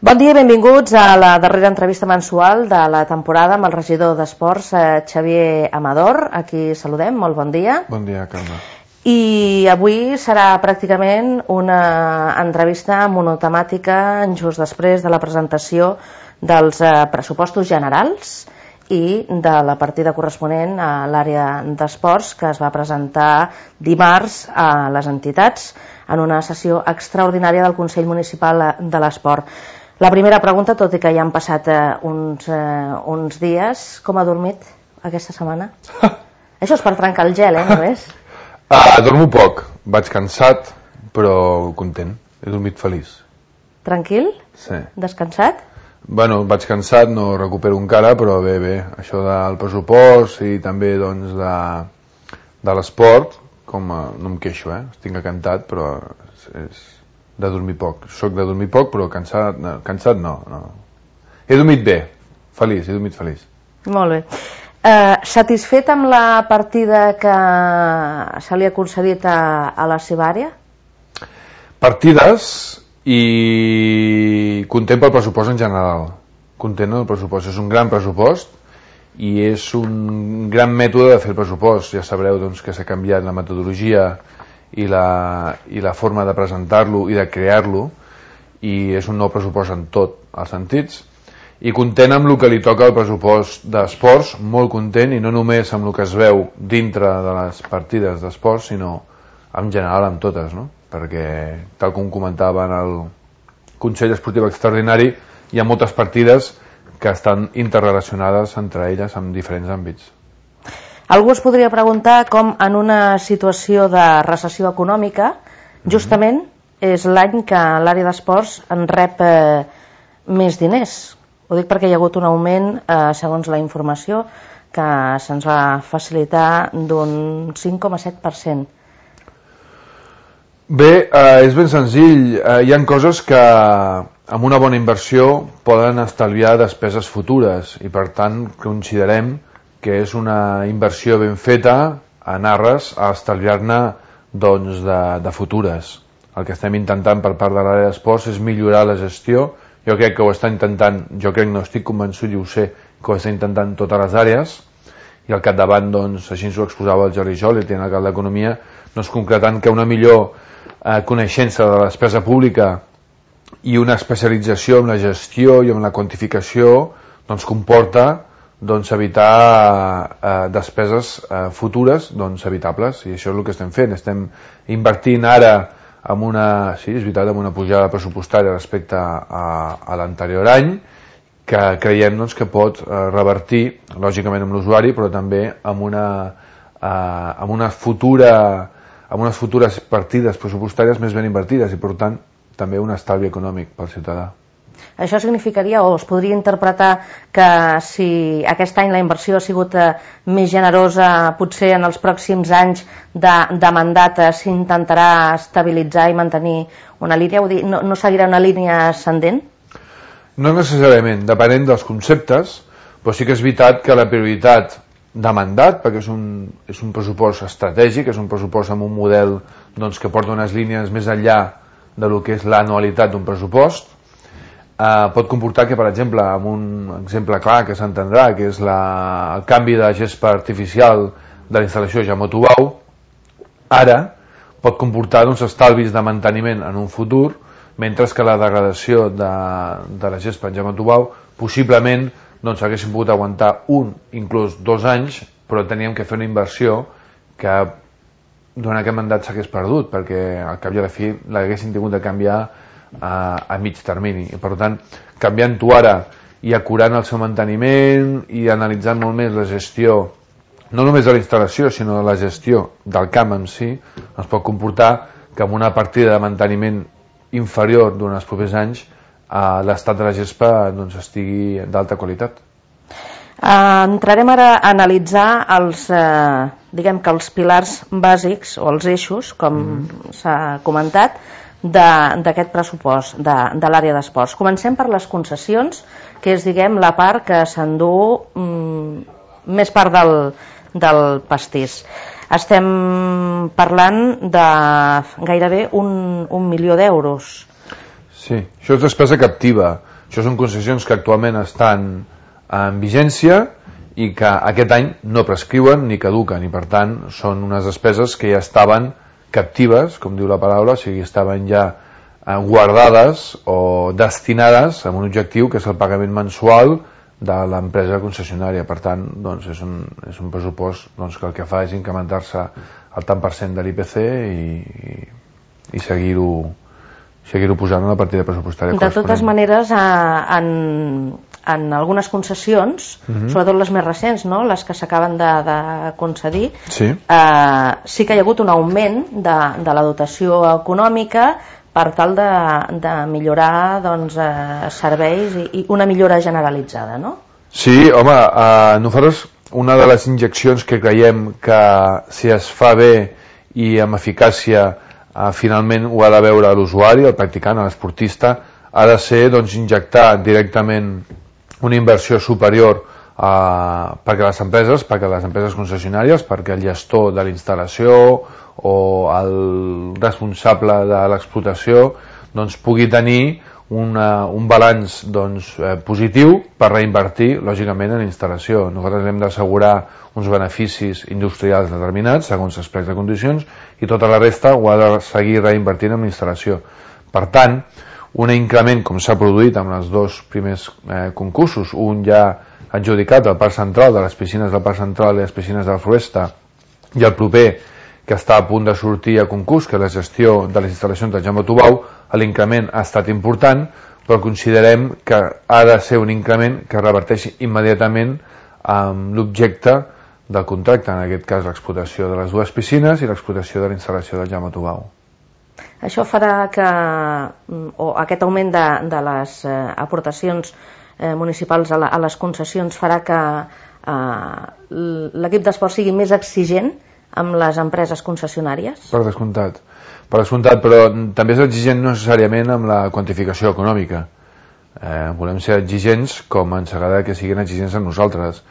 Bon dia i benvinguts a la darrera entrevista mensual de la temporada amb el regidor d'Esports, Xavier Amador. Aquí saludem, molt bon dia. Bon dia, Carme. I avui serà pràcticament una entrevista monotemàtica just després de la presentació dels pressupostos generals i de la partida corresponent a l'àrea d'esports que es va presentar dimarts a les entitats en una sessió extraordinària del Consell Municipal de l'Esport. La primera pregunta, tot i que ja han passat uns dies, com ha dormit aquesta setmana? Això és per trencar el gel, només? Dormo poc, vaig cansat, però content, he dormit feliç. Tranquil? Sí. Descansat? Bueno, vaig cansat, no recupero encara, però bé, això del pressupost i també doncs de l'esport, no em queixo, estic encantat, però és de dormir poc. Soc de dormir poc, però cansat no. He dormit bé, feliç, he dormit feliç. Molt bé. Satisfet amb la partida que se li ha concedit a la seva àrea? Partides i content pel pressupost en general. Content del pressupost. És un gran pressupost i és un gran mètode de fer el pressupost. Ja sabreu doncs, que s'ha canviat la metodologia i la forma de presentar-lo i de crear-lo, i és un nou pressupost en tots els sentits, i content amb el que li toca al pressupost d'esports, molt content, i no només amb el que es veu dintre de les partides d'esports, sinó en general amb totes, no? Perquè, tal com comentava en el Consell Esportiu Extraordinari, hi ha moltes partides que estan interrelacionades entre elles en diferents àmbits. Algú es podria preguntar com en una situació de recessió econòmica justament és l'any que l'àrea d'esports en rep més diners. Ho dic perquè hi ha hagut un augment, segons la informació que se'ns va facilitar, d'un 5,7%. Bé, és ben senzill. Hi ha coses que amb una bona inversió poden estalviar despeses futures i per tant considerem que és una inversió ben feta en ares a estalviar-ne doncs, de futures. El que estem intentant per part de l'àrea d'esports és millorar la gestió. Jo crec que ho està intentant, no estic convençut i ho sé, que ho està intentant totes les àrees, i al capdavant, doncs, així ens ho exposava el Jordi Joli, el tinent d'Alcalde d'Economia, doncs, concretant que una millor coneixença de la despesa pública i una especialització en la gestió i en la quantificació doncs, comporta evitar despeses futures evitables, i això és el que estem fent. Estem invertint ara amb una pujada pressupostària respecte a l'anterior any, que creiem que pot revertir lògicament amb l'usuari, però també amb unes futures partides pressupostàries més ben invertides i per tant també un estalvi econòmic pel ciutadà. Això significaria, o es podria interpretar, que si aquest any la inversió ha sigut més generosa, potser en els pròxims anys de mandat s'intentarà estabilitzar i mantenir una línia, no seguirà una línia ascendent? No necessàriament, depenent dels conceptes, però sí que és veritat que la prioritat de mandat, perquè és un pressupost estratègic, és un pressupost amb un model que porta unes línies més enllà del que és l'anualitat d'un pressupost, pot comportar que, per exemple, amb un exemple clar que s'entendrà, que és el canvi de gespa artificial de la instal·lació Jaume Tubau, ara pot comportar estalvis de manteniment en un futur, mentre que la degradació de la gespa en Jaume Tubau possiblement haguéssim pogut aguantar inclús 2 anys, però teníem que fer una inversió que durant aquest mandat s'hagués perdut, perquè al cap i a la fi l'haguéssim tingut de canviar a mig termini, i per tant canviant-ho ara i acurant el seu manteniment i analitzant molt més la gestió no només de la instal·lació sinó de la gestió del camp en si, ens pot comportar que amb una partida de manteniment inferior durant els propers anys l'estat de la gespa estigui d'alta qualitat. Entrarem ara a analitzar els pilars bàsics o els eixos, com s'ha comentat, d'aquest pressupost de l'àrea d'esports. Comencem per les concessions, que és la part que s'endú més part del pastís. Estem parlant de gairebé 1 milió d'euros. Sí, això és despesa captiva. Això són concessions que actualment estan en vigència i que aquest any no prescriuen ni caduquen, i per tant són unes despeses que ja estaven captives, com diu la paraula, o sigui, estaven ja guardades o destinades a un objectiu que és el pagament mensual de l'empresa concessionària. Per tant, doncs, és un pressupost doncs, que el que fa és incrementar-se el tant per cent de l'IPC i seguir-ho posant en la partida pressupostària corresponent. De totes maneres, en algunes concessions, sobretot les més recents, no? Les que s'acaben de concedir, sí que hi ha hagut un augment de la dotació econòmica per tal de millorar doncs, serveis i una millora generalitzada, no? Sí, home, nosaltres una de les injeccions que creiem que si es fa bé i amb eficàcia finalment ho ha de veure l'usuari, el practicant, l'esportista, ha de ser doncs, injectar directament una inversió superior perquè les empreses concessionàries, perquè el gestor de la instal·lació o el responsable de l'explotació doncs, pugui tenir un balanç doncs, positiu per reinvertir lògicament en la instal·lació. Nosaltres hem d'assegurar uns beneficis industrials determinats segons els plecs de condicions i tota la resta ho ha de seguir reinvertint en la instal·lació. Per tant, un increment com s'ha produït amb els dos primers concursos, un ja adjudicat al Parc Central, de les piscines del Parc Central i les piscines de la Floresta, i el proper que està a punt de sortir a concurs, que és la gestió de les instal·lacions de Jaume Tubau, l'increment ha estat important, però considerem que ha de ser un increment que reverteixi immediatament amb l'objecte del contracte, en aquest cas l'explotació de les dues piscines i l'explotació de la instal·lació del Jaume Tubau. Això farà que, o aquest augment de les aportacions municipals a les concessions farà que l'equip d'esport sigui més exigent amb les empreses concessionàries? Per descomptat, però també és exigent no necessàriament amb la quantificació econòmica. Volem ser exigents com ens agrada que siguin exigents amb nosaltres,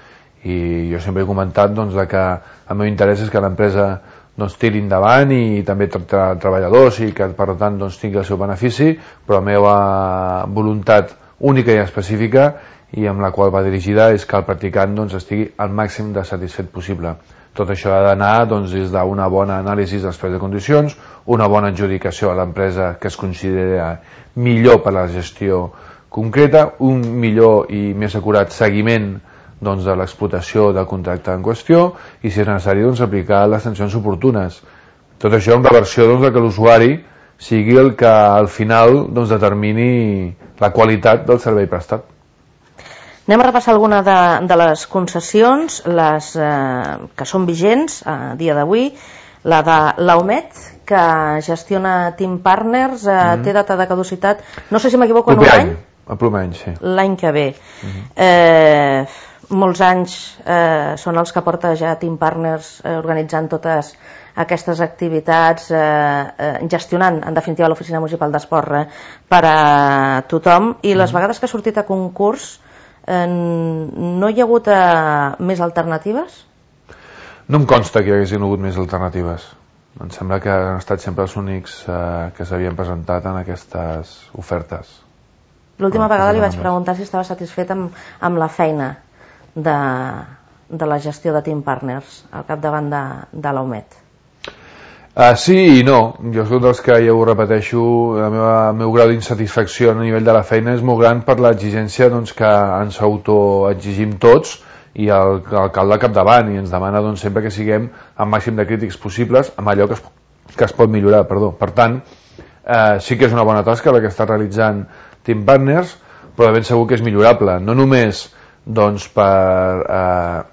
i jo sempre he comentat doncs, que el meu interès és que l'empresa doncs, tiri endavant i també treballadors i que per tant doncs, tingui el seu benefici, però la meva voluntat única i específica i amb la qual va dirigida és que el practicant doncs, estigui al màxim de satisfet possible. Tot això ha d'anar doncs, des d'una bona anàlisi dels plecs de condicions, una bona adjudicació a l'empresa que es considera millor per a la gestió concreta, un millor i més acurat seguiment doncs, de l'explotació del contracte en qüestió i, si és necessari, doncs, aplicar les sancions oportunes. Tot això amb la versió doncs, que l'usuari sigui el que al final doncs, determini la qualitat del servei prestat. Anem a repassar alguna de les concessions, les que són vigents a dia d'avui. La de l'Aumet, que gestiona Team Partners, té data de caducitat, no sé si m'equivoco, en un any? El proper any, sí. L'any que ve. Molts anys són els que porta ja Team Partners organitzant totes aquestes activitats, gestionant en definitiva l'Oficina Municipal d'Esport per a tothom, i les vegades que ha sortit a concurs no hi ha hagut més alternatives? No em consta que hi haguessin hagut més alternatives. Em sembla que han estat sempre els únics que s'havien presentat en aquestes ofertes. L'última vegada li vaig preguntar si estava satisfet amb la feina de la gestió de Team Partners al capdavant de l'Aumet. Sí i no. Jo soc dels que, ja ho repeteixo, el meu grau d'insatisfacció a nivell de la feina és molt gran per l'exigència doncs, que ens autoexigim tots i l'alcalde al capdavant, i ens demana doncs, sempre que siguem el màxim de crítics possibles amb allò que es pot millorar. Per tant, sí que és una bona tasca la que està realitzant Team Partners, però de ben segur que és millorable, no només doncs, per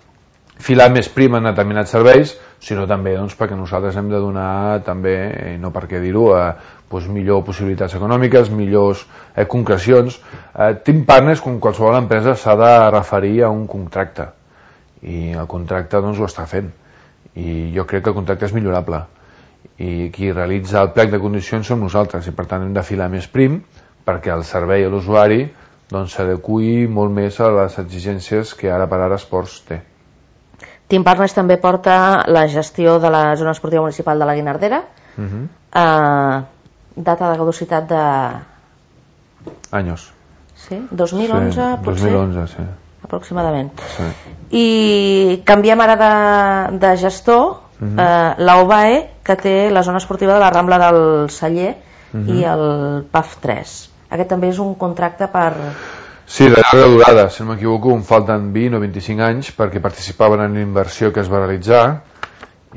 filar més prim en determinats serveis, sinó també doncs, perquè nosaltres hem de donar també, i no per què dir-ho, doncs, millor possibilitats econòmiques, millors concrecions. Team Partners, com qualsevol empresa, s'ha de referir a un contracte, i el contracte doncs, ho està fent, i jo crec que el contracte és millorable, i qui realitza el plec de condicions som nosaltres, i per tant hem de filar més prim perquè el servei a l'usuari doncs, s'adeqüi molt més a les exigències que ara per ara Esports té. Team Partners també porta la gestió de la zona esportiva municipal de la Guinardera. Data de caducitat de... Anys. Sí. Sí? 2011, sí, potser? 2011, sí. Aproximadament. Sí. I canviem ara de gestor, la UBAE, que té la zona esportiva de la Rambla del Celler i el PAF 3. Aquest també és un contracte per... Sí, de llarga durada, si no m'equivoco, em falten 20 o 25 anys perquè participaven en l'inversió que es va realitzar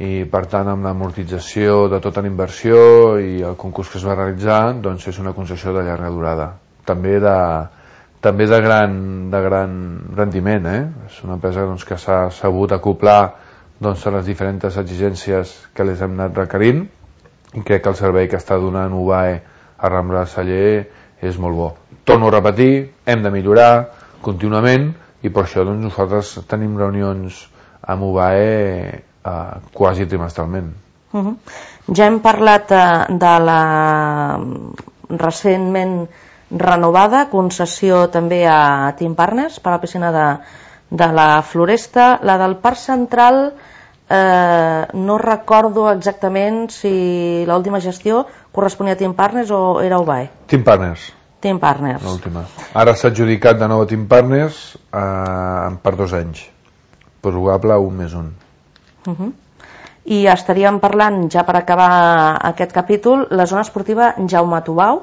i per tant amb l'amortització de tota la inversió i el concurs que es va realitzar, doncs és una concessió de llarga durada. També de gran rendiment, És una empresa doncs, que s'ha sabut acoplar doncs, a les diferents exigències que les hem anat requerint i crec que el servei que està donant UBAE a Rambla del Celler és molt bo. Torno a repetir, hem de millorar contínuament i per això doncs, nosaltres tenim reunions amb UBAE quasi trimestralment. Ja hem parlat de la recentment renovada concessió també a Team Partners per a la piscina de la Floresta. La del Parc Central no recordo exactament si l'última gestió corresponia a Team Partners o era UBAE. Team Partners. Team Partners. L'última. Ara s'ha adjudicat de nou a Team Partners per 2 anys. Probable 1+1. I estaríem parlant, ja per acabar aquest capítol, la zona esportiva Jaume Tubau,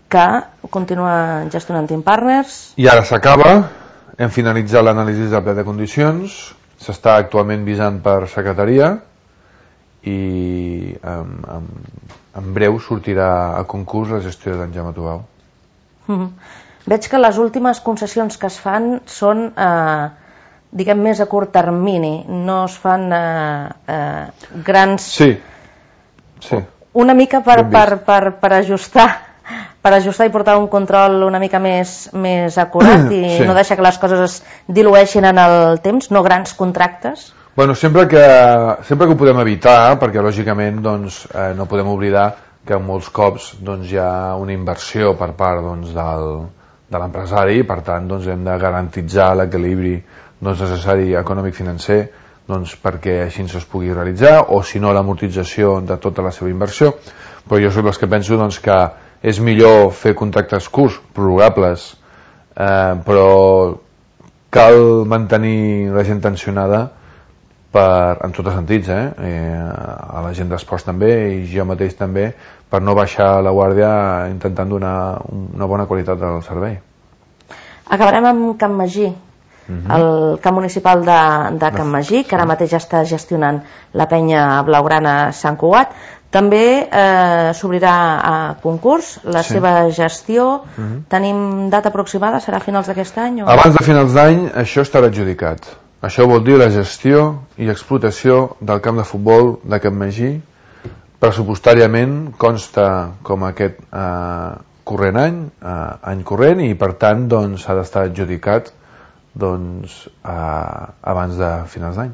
que continua gestionant Team Partners. I ara s'acaba, hem finalitzat l'anàlisi del pla de condicions, s'està actualment visant per secretaria i en breu sortirà a concurs la gestió d'en Jaume Tubau. Veig que les últimes concessions que es fan són diguem més a curt termini, no es fan grans... Sí. Una mica per ajustar i portar un control una mica més acurat i no deixar que les coses es dilueixin en el temps, no grans contractes. Bueno, sempre que ho podem evitar, perquè lògicament doncs, no podem oblidar que molts cops doncs, hi ha una inversió per part doncs, de l'empresari i per tant doncs, hem de garantitzar l'equilibri necessari econòmic-financer doncs, perquè així es pugui realitzar o si no l'amortització de tota la seva inversió, però jo soc dels que penso doncs, que és millor fer contractes curts, prorrogables, però cal mantenir la gent tensionada en tots els sentits, a la gent d'esports també i jo mateix també, per no baixar la guàrdia intentant donar una bona qualitat del servei. Acabarem amb Can Magí, el camp municipal de Can Magí, que ara mateix està gestionant la penya blaugrana Sant Cugat. També s'obrirà a concurs la seva gestió. Tenim data aproximada? Serà a finals d'aquest any? Abans de finals d'any això estarà adjudicat. Això vol dir la gestió i explotació del camp de futbol de Can Magí. Pressupostàriament consta com aquest corrent any corrent i per tant doncs, ha d'estar adjudicat doncs, abans de finals d'any.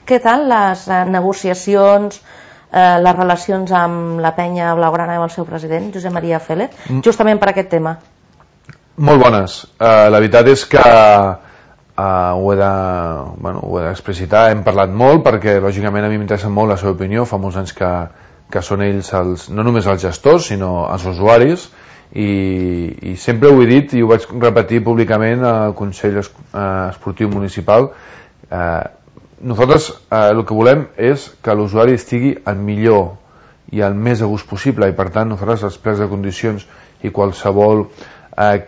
Què tal les negociacions, les relacions amb la penya blaugrana i amb el seu president, Josep Maria Félez, justament per aquest tema? Molt bones. La veritat és que ho he d'explicitar, hem parlat molt perquè lògicament a mi m'interessa molt la seva opinió, fa molts anys que són ells no només els gestors sinó els usuaris i sempre ho he dit i ho vaig repetir públicament al Consell Esportiu Municipal. Nosaltres el que volem és que l'usuari estigui el millor i el més a gust possible i per tant nosaltres els plecs de condicions i qualsevol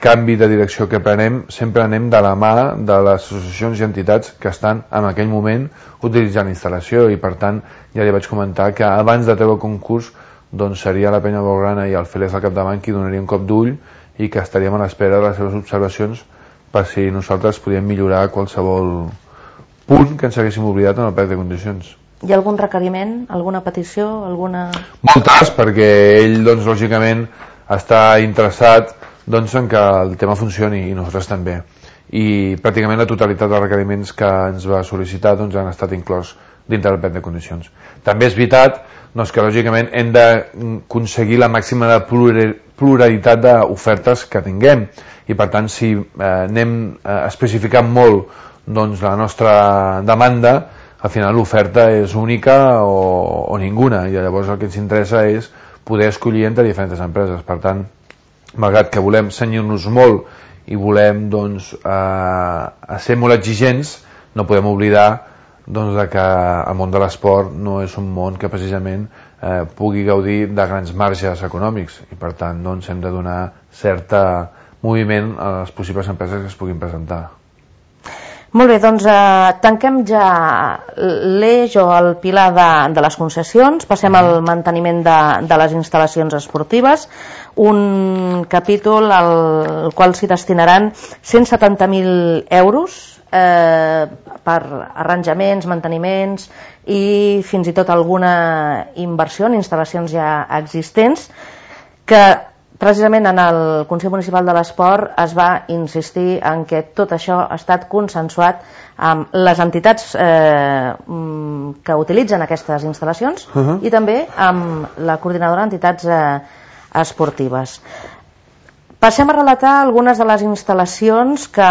canvi de direcció que prenem sempre anem de la mà de les associacions i entitats que estan en aquell moment utilitzant instal·lació i per tant ja li vaig comentar que abans de treure el concurs doncs seria la penya blaugrana i el Félez al capdavant qui donaria un cop d'ull i que estaríem a l'espera de les seves observacions per si nosaltres podíem millorar qualsevol punt que ens haguéssim oblidat en el plec de condicions. Hi ha algun requeriment, alguna petició, alguna... Moltes, perquè ell doncs lògicament està interessat doncs, en que el tema funcioni i nosaltres també i pràcticament la totalitat dels requeriments que ens va sol·licitar doncs, han estat inclòs dintre del plec de condicions. També és veritat doncs, que lògicament hem d'aconseguir la màxima de pluralitat d'ofertes que tinguem i per tant si anem especificant molt doncs, la nostra demanda al final l'oferta és única o ninguna i llavors el que ens interessa és poder escollir entre diferents empreses. Per tant, malgrat que volem cenyir-nos molt i volem doncs, a ser molt exigents, no podem oblidar doncs, que el món de l'esport no és un món que precisament pugui gaudir de grans marges econòmics i per tant doncs, hem de donar cert moviment a les possibles empreses que es puguin presentar. Molt bé, doncs tanquem ja l'eix o el pilar de les concessions, passem al manteniment de les instal·lacions esportives, un capítol al qual s'hi destinaran 170.000 euros per arranjaments, manteniments i fins i tot alguna inversió en instal·lacions ja existents, que precisament en el Consell Municipal de l'Esport es va insistir en que tot això ha estat consensuat amb les entitats que utilitzen aquestes instal·lacions i també amb la coordinadora d'entitats esportives. Passem a relatar algunes de les instal·lacions que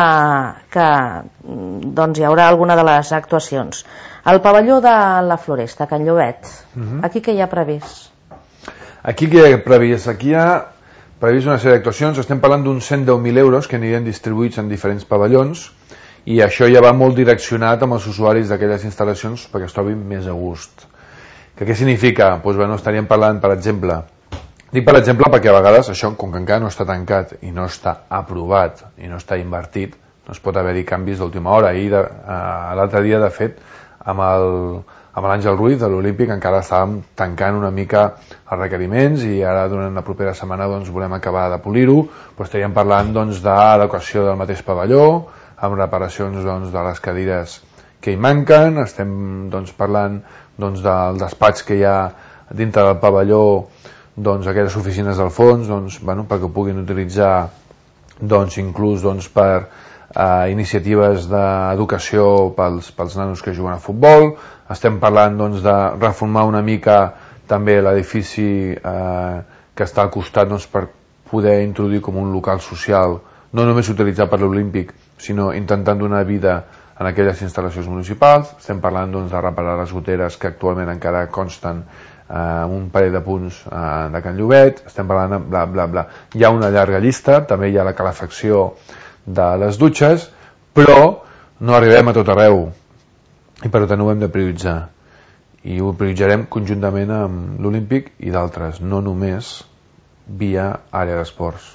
doncs, hi haurà alguna de les actuacions. El pavelló de la Floresta, Can Llobet, aquí què hi ha previst? Aquí què hi ha previst? Aquí hi ha previst una sèrie d'actuacions, estem parlant d'uns 110.000 euros que anirien distribuïts en diferents pavellons i això ja va molt direccionat amb els usuaris d'aquelles instal·lacions perquè es trobin més a gust. Què significa? Doncs bueno, estaríem parlant, per exemple, dic per exemple perquè a vegades això, com que encara no està tancat i no està aprovat i no està invertit, doncs pot haver-hi canvis d'última hora. L'altre dia, de fet, amb l'Àngel Ruiz de l'Olímpic encara estàvem tancant una mica els requeriments i ara durant la propera setmana doncs, volem acabar de polir-ho, però estaríem parlant doncs, d'adequació del mateix pavelló, amb reparacions doncs, de les cadires que hi manquen, estem doncs, parlant doncs, del despatx que hi ha dintre del pavelló, doncs, aquelles oficines del fons doncs, bueno, perquè ho puguin utilitzar doncs, inclús doncs, per iniciatives d'educació pels nanos que juguen a futbol. Estem parlant doncs, de reformar una mica també l'edifici que està al costat doncs, per poder introduir com un local social, no només utilitzat per l'Olímpic, sinó intentant donar vida en aquelles instal·lacions municipals. Estem parlant doncs, de reparar les goteres que actualment encara consten un parell de punts de Can Llobet. Estem parlant de bla bla bla. Hi ha una llarga llista, també hi ha la calefacció de les dutxes, però no arribem a tot arreu i per tant ho hem de prioritzar i ho prioritzarem conjuntament amb l'Olímpic i d'altres, no només via àrea d'esports.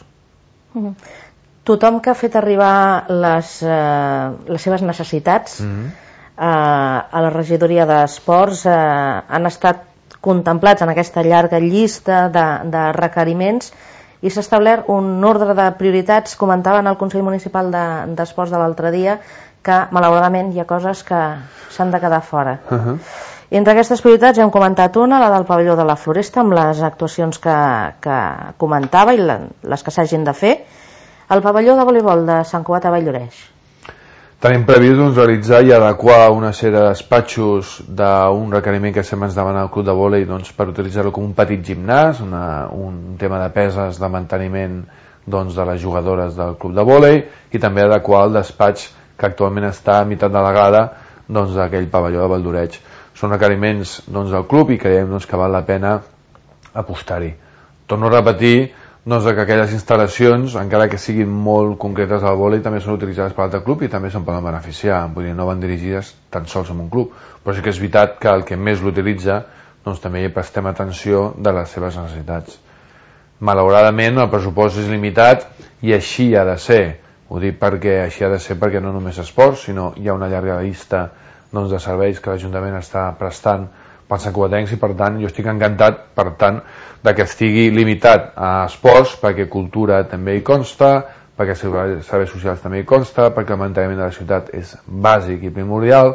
Tothom que ha fet arribar les seves necessitats a la regidoria d'esports han estat contemplats en aquesta llarga llista de requeriments i s'ha establert un ordre de prioritats. Comentaven al Consell Municipal d'Esports de l'altre dia que malauradament hi ha coses que s'han de quedar fora. Entre aquestes prioritats hem comentat una, la del pavelló de la Floresta, amb les actuacions que comentava i les que s'hagin de fer. El pavelló de voleibol de Sant Cugat a Valldoreix. Tenim previst doncs, realitzar i adequar una sèrie de despatxos d'un requeriment que sempre ens demana el club de vòlei doncs, per utilitzar-lo com un petit gimnàs, un tema de peses de manteniment doncs, de les jugadores del club de vòlei i també adequar el despatx que actualment està a meitat de la grada doncs, d'aquell pavelló de Valldoreix. Són requeriments doncs, del club i creiem doncs, que val la pena apostar-hi. Torno a repetir doncs, que aquelles instal·lacions, encara que siguin molt concretes al vòlei, també són utilitzades per l'altre club i també se'n poden beneficiar. Vull dir, no van dirigides tan sols en un club, però sí que és veritat que el que més l'utilitza doncs, també hi prestem atenció de les seves necessitats. Malauradament el pressupost és limitat i així ha de ser. Ho dic perquè així ha de ser perquè no només esports, sinó hi ha una llarga llista doncs, de serveis que l'Ajuntament està prestant pels santcugatencs i per tant jo estic encantat per tant de que estigui limitat a esports perquè cultura també hi consta, perquè serveis socials també hi consta, perquè el manteniment de la ciutat és bàsic i primordial.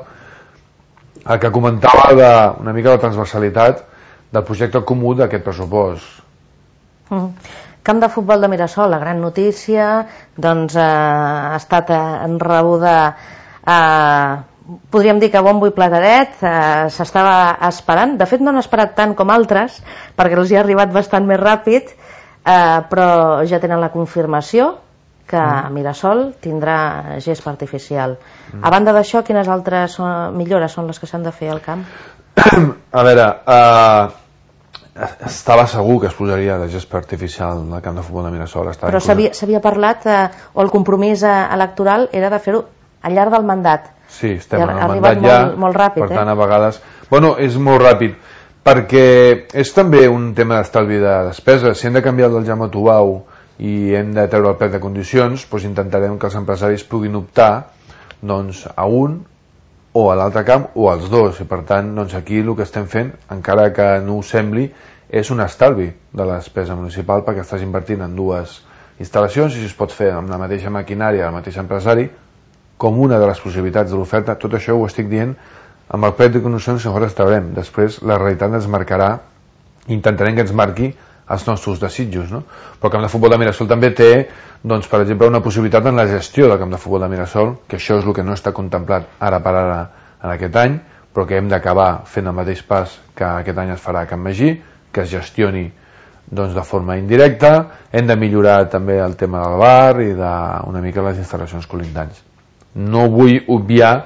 El que comentava una mica la transversalitat del projecte comú d'aquest pressupost. Camp de futbol de Mirasol, la gran notícia, doncs ha estat rebuda podríem dir que bombo i plateret, s'estava esperant, de fet no han esperat tant com altres perquè els hi ha arribat bastant més ràpid, però ja tenen la confirmació que Mirasol tindrà gespa artificial. A banda d'això, quines altres millores són les que s'han de fer al camp? A veure, estava segur que es posaria de gespa artificial al camp de futbol de Mirasol. Però s'havia parlat, o el compromís electoral era de fer-ho al llarg del mandat. Sí, estem en el mandat ja, molt ràpid, per tant a vegades... Bueno, és molt ràpid, perquè és també un tema d'estalvi de despesa. Si hem de canviar el del Jaume Tubau i hem de treure el plec de condicions, doncs intentarem que els empresaris puguin optar doncs, a un o a l'altre camp o als dos, i per tant doncs, aquí el que estem fent, encara que no ho sembli, és un estalvi de la despesa municipal, perquè estàs invertint en dues instal·lacions i si es pot fer amb la mateixa maquinària, el mateix empresari, com una de les possibilitats de l'oferta. Tot això ho estic dient amb el plec de condicions que nosaltres traurem. Després la realitat ens marcarà, intentarem que ens marqui els nostres desitjos, no? Però el camp de futbol de Mirasol també té, doncs, per exemple, una possibilitat en la gestió del camp de futbol de Mirasol, que això és el que no està contemplat ara per ara en aquest any, però que hem d'acabar fent el mateix pas que aquest any es farà a Can Magí, que es gestioni doncs, de forma indirecta. Hem de millorar també el tema del bar i una mica les instal·lacions colindants. No vull obviar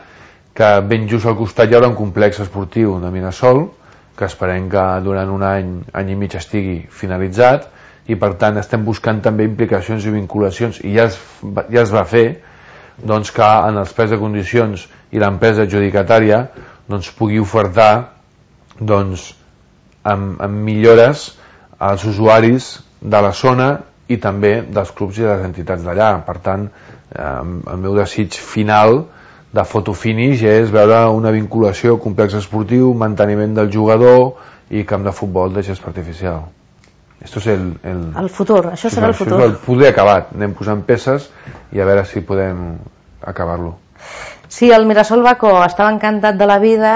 que ben just al costat hi haurà un complex esportiu de Mirasol, que esperem que durant un any i mig estigui finalitzat, i per tant estem buscant també implicacions i vinculacions, i ja es va fer, doncs, que en els plecs de condicions i l'empresa adjudicatària doncs, pugui ofertar doncs, amb millores als usuaris de la zona i també dels clubs i de les entitats d'allà. Per tant, el meu desig final de fotofinish és veure una vinculació, complex esportiu, manteniment del jugador i camp de futbol de gespa artificial. Esto es el futur, això serà el futur. Això és el poder acabat. Anem posant peces i a veure si podem acabar-lo. Sí, el Mirasol Bacó estava encantat de la vida.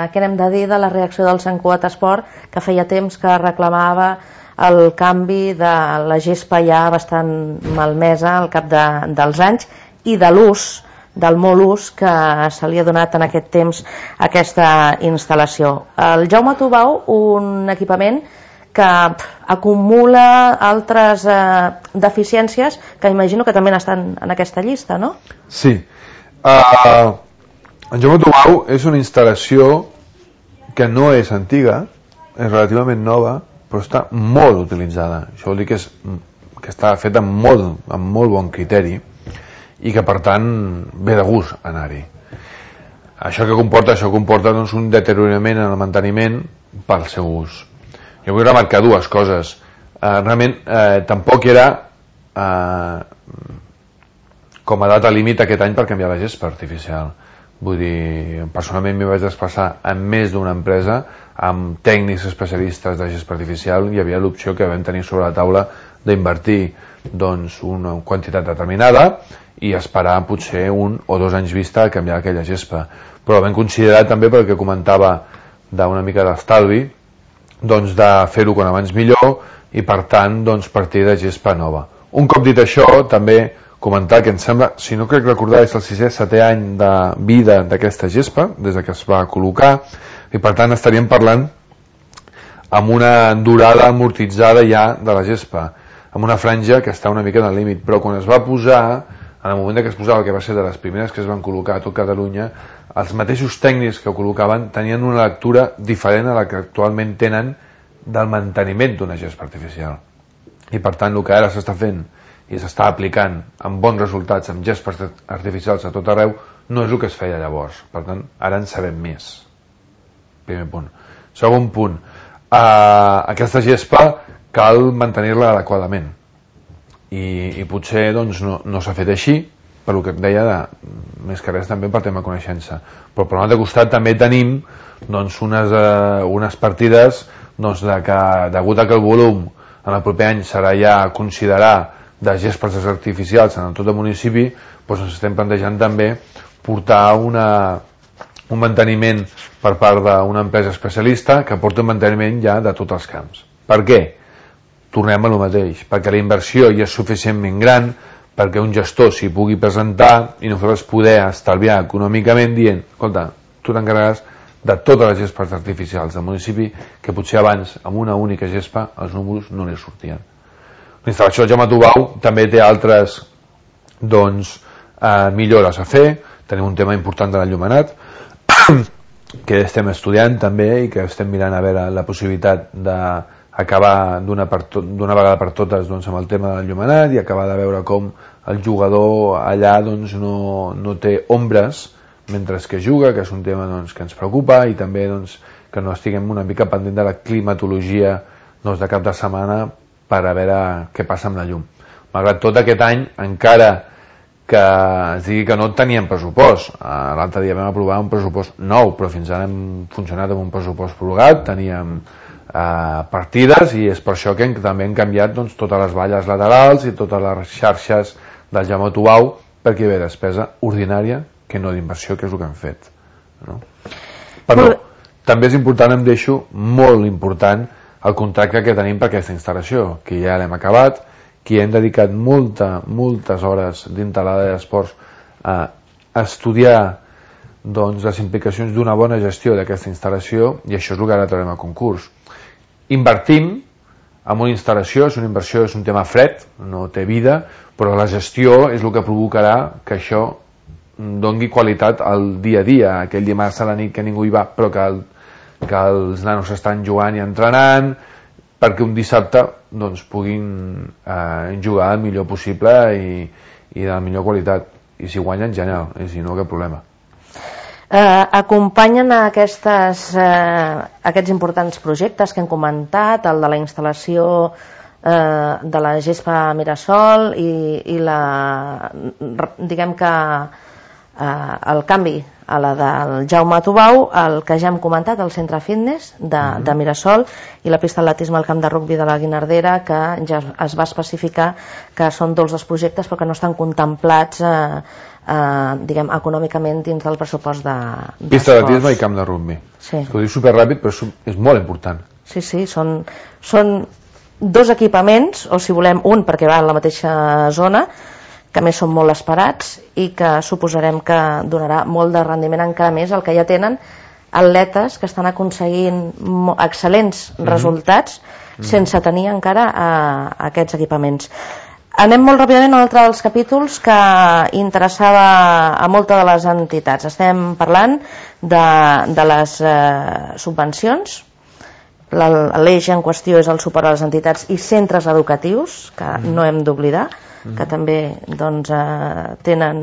Què n'hem de dir de la reacció del Sant Cugat Esport, que feia temps que reclamava el canvi de la gespa ja bastant malmesa al cap dels anys i de l'ús, del molt ús que se li ha donat en aquest temps a aquesta instal·lació. El Jaume Tubau, un equipament que acumula altres deficiències que imagino que també estan en aquesta llista, no? Sí. El Jaume Tubau és una instal·lació que no és antiga, és relativament nova, però està molt utilitzada. Això vol dir que està feta amb molt bon criteri i que per tant ve de gust anar-hi. Això comporta doncs, un deteriorament en el manteniment pel seu ús. Jo vull remarcar dues coses. Realment tampoc era com a data límit aquest any per canviar la gespa artificial. Vull dir, personalment m'hi vaig desplaçar amb més d'una empresa, amb tècnics especialistes de gespa artificial. Hi havia l'opció que vam tenir sobre la taula d'invertir doncs, una quantitat determinada i esperar potser 1 o 2 anys vista a canviar aquella gespa. Però vam considerar també, pel que comentava d'una mica d'estalvi, doncs de fer-ho quan abans millor i per tant doncs, partir de gespa nova. Un cop dit això, també comentar que em sembla, si no crec recordar, és el 6è-7è any de vida d'aquesta gespa, des que es va col·locar, i per tant estaríem parlant amb una durada amortitzada ja de la gespa, amb una franja que està una mica en el límit, però quan es va posar, en el moment que es posava, que va ser de les primeres que es van col·locar a tot Catalunya, els mateixos tècnics que ho col·locaven tenien una lectura diferent a la que actualment tenen del manteniment d'una gespa artificial. I per tant el que ara s'està fent i s'està aplicant amb bons resultats amb gespes artificials a tot arreu no és el que es feia llavors. Per tant, ara en sabem més. Primer punt. Segon punt, aquesta gespa cal mantenir-la adequadament i potser doncs, no s'ha fet així, per el que et deia, més que res també per tema de coneixença. Però per un altre costat també tenim doncs, unes partides doncs, que degut a que el volum en el proper any serà ja considerar de gespes artificials en tot el municipi, doncs ens estem plantejant també portar un manteniment per part d'una empresa especialista que porti un manteniment ja de tots els camps. Per què? Tornem a lo mateix, perquè la inversió ja és suficientment gran perquè un gestor s'hi pugui presentar i nosaltres poder estalviar econòmicament dient, escolta, tu t'encarregaràs de totes les gespes artificials del municipi que potser abans amb una única gespa els números no li sortien. La instal·lació del Jaume Tubau també té altres doncs, millores a fer. Tenim un tema important de l'enllumenat que estem estudiant també i que estem mirant a veure la possibilitat d'acabar d'una vegada per totes doncs, amb el tema del llumenat i acabar de veure com el jugador allà doncs, no té ombres mentre que juga, que és un tema doncs, que ens preocupa, i també doncs, que no estiguem una mica pendent de la climatologia doncs, de cap de setmana per a veure què passa amb la llum. Malgrat tot, aquest any, encara que es digui que no teníem pressupost, l'altre dia vam aprovar un pressupost nou, però fins ara hem funcionat amb un pressupost prorrogat, teníem partides, i és per això que també hem canviat doncs, totes les valles laterals i totes les xarxes del Jaume Tubau, perquè hi ve despesa ordinària que no d'inversió, que és el que hem fet, no? Però també és important, em deixo molt important el contracte que tenim per aquesta instal·lació, que ja l'hem acabat, que hem dedicat moltes hores dintre l'àrea d'esports a estudiar doncs, les implicacions d'una bona gestió d'aquesta instal·lació, i això és el que ara traurem a concurs. Invertim en una instal·lació, és una inversió, és un tema fred, no té vida, però la gestió és el que provocarà que això doni qualitat al dia a dia, aquell dimarts a la nit que ningú hi va, però que els nanos estan jugant i entrenant, perquè un dissabte doncs, puguin jugar el millor possible i de la millor qualitat. I si guanyen, genial, i si no, cap problema. Acompanyen aquests importants projectes que hem comentat, el de la instal·lació de la Gespa Mirasol i diguem que el canvi a la del Jaume Tubau, el que ja hem comentat, el centre fitness de Mirasol, i la pista d'atletisme al camp de rugbi de la Guinardera, que ja es va especificar que són dos dels projectes però que no estan contemplats diguem, econòmicament dins del pressupost de pista d'atletisme i camp de rugbi. Sí. Ho dic superràpid, però és molt important. Sí, són dos equipaments, o si volem un perquè va en la mateixa zona, que més són molt esperats i que suposarem que donarà molt de rendiment encara més el que ja tenen atletes que estan aconseguint excel·lents resultats sense tenir encara aquests equipaments. Anem molt ràpidament a un altre dels capítols que interessava a moltes de les entitats. Estem parlant de les subvencions. L'eix en qüestió és el suport a les entitats i centres educatius, que no hem d'oblidar, que també doncs, tenen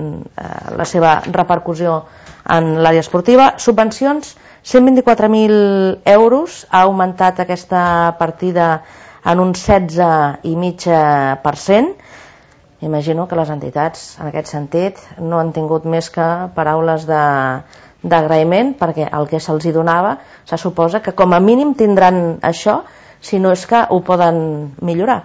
la seva repercussió en l'àrea esportiva. Subvencions, 124.000 euros, ha augmentat aquesta partida en un 16,5%. Imagino que les entitats, en aquest sentit, no han tingut més que paraules d'agraïment, perquè el que se'ls donava se suposa que com a mínim tindran això, si no és que ho poden millorar.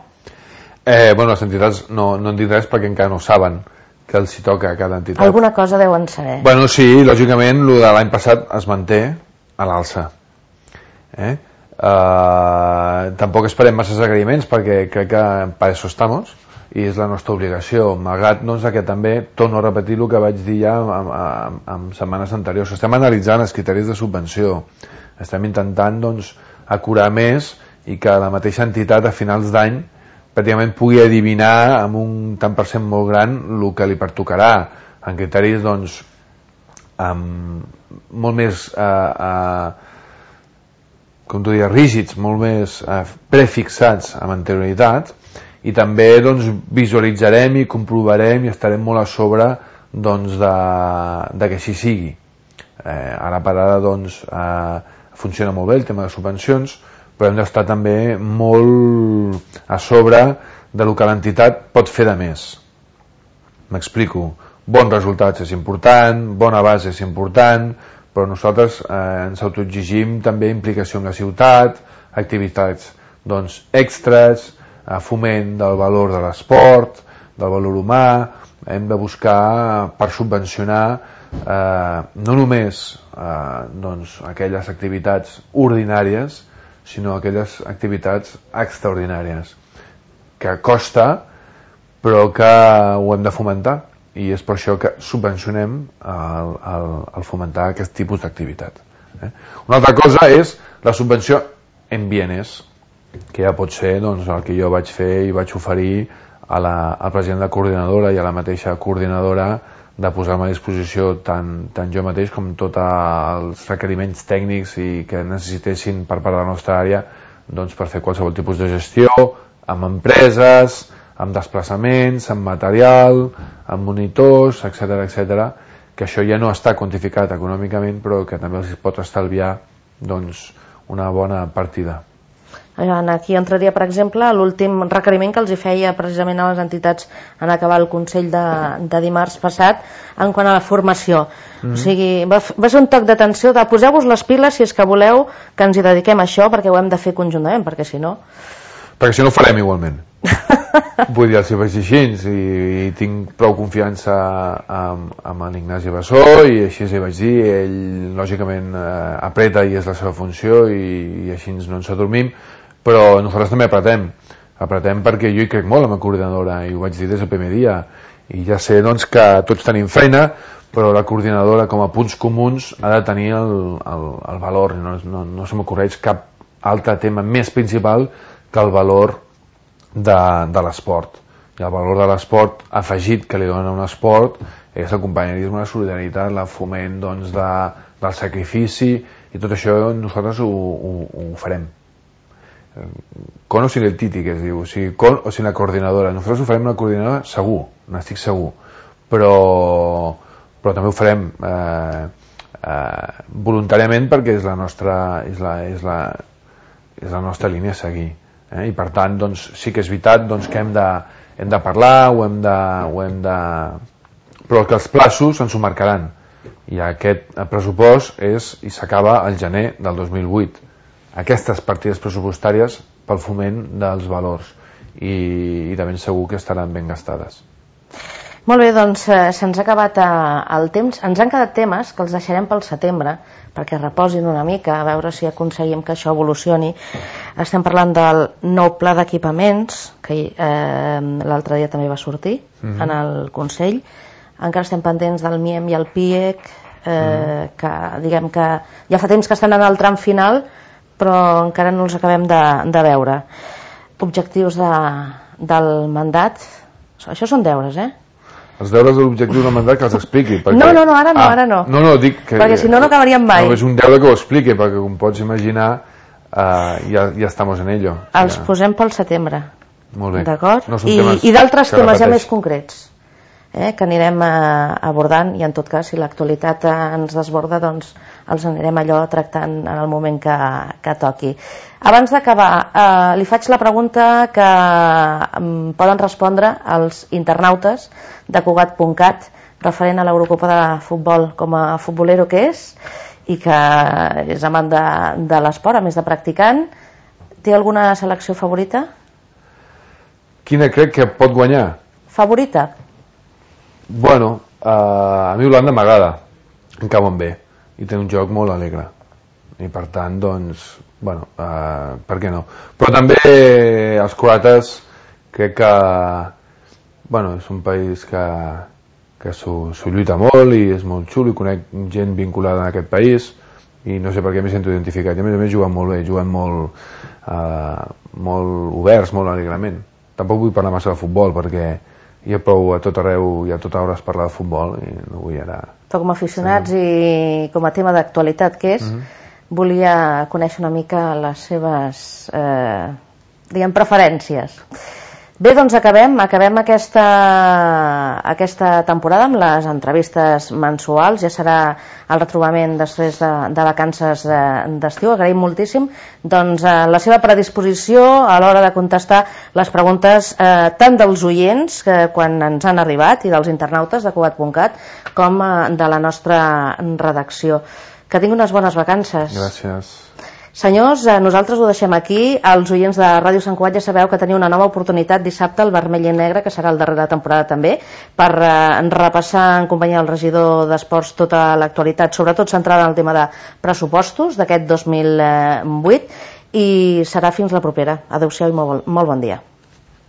Bueno, les entitats no en dic res perquè encara no saben que els hi toca a cada entitat. Alguna cosa deuen saber. Bueno, sí, lògicament, el de l'any passat es manté a l'alça. Tampoc esperem masses agraïments perquè crec que per això estem i és la nostra obligació, malgrat doncs, que també torno a repetir el que vaig dir ja en setmanes anteriors. Estem analitzant els criteris de subvenció, estem intentant doncs, acurar més i que la mateixa entitat a finals d'any pràcticament pugui adivinar amb un tant per cent molt gran el que li pertocarà, en criteris doncs, molt més com tu dius, rígids, molt més prefixats amb anterioritat, i també doncs, visualitzarem i comprovarem i estarem molt a sobre doncs, de que així sigui. Ara per ara doncs, funciona molt bé el tema de subvencions, però hem d'estar també molt a sobre del que l'entitat pot fer de més. M'explico. Bons resultats és important, bona base és important, però nosaltres ens autoexigim també implicació en la ciutat, activitats doncs, extres, foment del valor de l'esport, del valor humà. Hem de buscar per subvencionar no només doncs, aquelles activitats ordinàries, sinó aquelles activitats extraordinàries, que costa, però que ho hem de fomentar, i és per això que subvencionem el fomentar aquest tipus d'activitat. Una altra cosa és la subvenció en bienes, que ja pot ser doncs, el que jo vaig fer i vaig oferir al president de la coordinadora i a la mateixa coordinadora de posar-me a disposició tant jo mateix com tots els requeriments tècnics i que necessitessin per part de la nostra àrea doncs, per fer qualsevol tipus de gestió amb empreses, amb desplaçaments, amb material, amb monitors, etc, que això ja no està quantificat econòmicament però que també els pot estalviar doncs, una bona partida. Aquí entraria, per exemple, l'últim requeriment que els hi feia precisament a les entitats en acabar el Consell de dimarts passat en quant a la formació. O sigui, va ser un toc d'atenció de poseu-vos les piles si és que voleu que ens hi dediquem a això, perquè ho hem de fer conjuntament, perquè si no... Perquè si no ho farem igualment. Vull dir, els hi vaig dir així i tinc prou confiança amb l'Ignasi Bassó i així li vaig dir, ell lògicament apreta i és la seva funció i així no ens adormim, però nosaltres també apretem perquè jo hi crec molt en la coordinadora i ho vaig dir des del primer dia i ja sé doncs que tots tenim feina però la coordinadora com a punts comuns ha de tenir el valor, no se m'ocorreix cap altre tema més principal que el valor de l'esport i el valor de l'esport afegit que li dona un esport és el companyerisme, la solidaritat, el foment doncs, del sacrifici i tot això nosaltres ho farem con o sin el Titi que es diu, o sigui, con o sin la coordinadora nosaltres ho farem la coordinadora segur n'estic segur però també ho farem voluntàriament perquè és la nostra línia a seguir i per tant doncs, sí que és veritat doncs, que hem de parlar però que els plaços ens ho marcaran i aquest pressupost i s'acaba al gener del 2008 aquestes partides pressupostàries pel foment dels valors i de ben segur que estaran ben gastades. Molt bé, doncs se'ns ha acabat el temps. Ens han quedat temes que els deixarem pel setembre perquè reposin una mica, a veure si aconseguim que això evolucioni. Estem parlant del nou pla d'equipaments que l'altre dia també va sortir en el Consell. Encara estem pendents del MIEM i el PIEC que diguem que ja fa temps que estan en el tram final però encara no els acabem de veure. Objectius del mandat, això són deures, Els deures de l'objectiu del mandat que els expliqui. Perquè... No, ara no. No, dic que... Perquè si no acabaríem mai. No, és un deure que ho expliqui, perquè com pots imaginar ja estamos en ello. Els posem pel setembre. Molt bé. D'acord? No I d'altres temes ja més concrets que anirem abordant i en tot cas si l'actualitat ens desborda doncs els anirem allò tractant en el moment que toqui. Abans d'acabar li faig la pregunta que poden respondre els internautes de Cugat.cat referent a l'Eurocopa de futbol com a futbolero que és i que és amant de l'esport a més de practicant. Té alguna selecció favorita? Quina crec que pot guanyar? Favorita? Bueno, a mi Holanda m'agrada, em cauen bé i té un joc molt alegre i per tant doncs bueno, per què no, però també els croates crec que bueno, és un país que s'ho lluita molt i és molt xulo i conec gent vinculada en aquest país i no sé per què m'he sento identificat i a més juguen molt bé, juguen molt oberts, molt alegrement. Tampoc vull parlar massa de futbol perquè hi ha prou a tot arreu i a tota hora es parla de futbol i no vull ara... Però com a aficionats i com a tema d'actualitat que és, volia conèixer una mica les seves preferències. Bé, doncs acabem aquesta temporada amb les entrevistes mensuals, ja serà el retrobament després de vacances d'estiu. Agraïm moltíssim doncs, la seva predisposició a l'hora de contestar les preguntes tant dels oients que quan ens han arribat i dels internautes de Cugat.cat com de la nostra redacció. Que tingui unes bones vacances. Gràcies. Senyors, nosaltres ho deixem aquí. Els oients de Ràdio Sant Cugat ja sabeu que teniu una nova oportunitat dissabte al Vermell i Negre, que serà el darrer de temporada també, per repassar en companyia del regidor d'Esports tota l'actualitat, sobretot centrada en el tema de pressupostos d'aquest 2008, i serà fins la propera. Adéu-siau i molt bon dia.